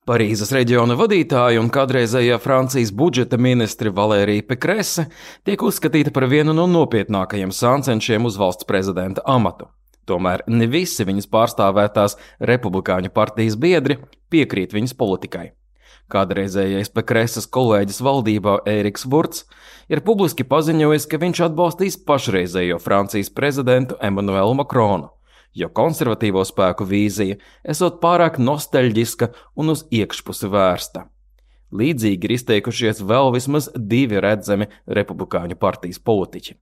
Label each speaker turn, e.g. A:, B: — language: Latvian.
A: Parīzes reģiona vadītāja un kādreizējā Francijas budžeta ministre Valērija Pekrese tiek uzskatīta par vienu no nopietnākajiem sāncenšiem uz valsts prezidenta amatu. Tomēr ne visi viņas pārstāvētās republikāņu partijas biedri piekrīt viņas politikai. Kādreizējais Pekreses kolēģis valdībā Ēriks Vurts ir publiski paziņojis, ka viņš atbalstīs pašreizējo Francijas prezidentu Emmanuelu Macronu, jo konservatīvo spēku vīzija esot pārāk nostalģiska un uz iekšpusi vērsta. Līdzīgi ir izteikušies vēl vismaz 2 redzami republikāņu partijas politiķi.